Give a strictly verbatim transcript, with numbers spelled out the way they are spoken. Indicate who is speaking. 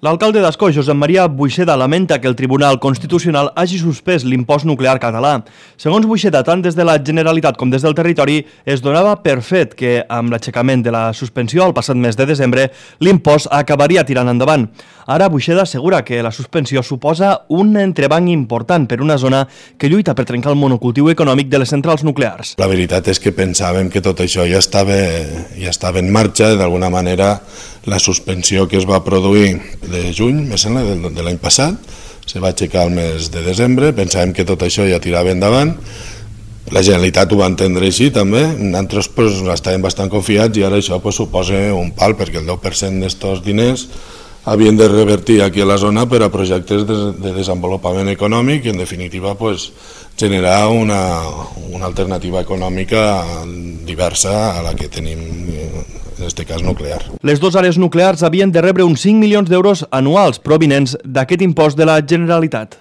Speaker 1: L'alcalde d'Ascó, Josep Maria Buixeda, lamenta que el Tribunal Constitucional hagi suspès l'impost nuclear català. Segons Buixeda, tant des de la Generalitat com des del territori, es donava per fet que, amb l'aixecament de la suspensió el passat mes de desembre, l'impost acabaria tirant endavant. Ara, Buixeda assegura que la suspensió suposa un entrebanc important per una zona que lluita per trencar el monocultiu econòmic de les centrals nuclears.
Speaker 2: La veritat és que pensàvem que tot això ja estava, ja estava en marxa. D'alguna manera, la suspensió que es va produir de juny, me sembla, de l'any passat, se va aixecar el mes de desembre, pensàvem que tot això ja tirava endavant. La Generalitat ho va entendre així també, nosaltres pues, estàvem bastant confiats i ara això pues, suposa un pal, perquè el deu per cent d'estos diners havien de revertir aquí a la zona per a projectes de, de desenvolupament econòmic i en definitiva pues, generar una, una alternativa econòmica diversa a la que tenim, en aquest cas nuclear.
Speaker 1: Les dues àrees nuclears havien de rebre uns cinc milions d'euros anuals provinents d'aquest impost de la Generalitat.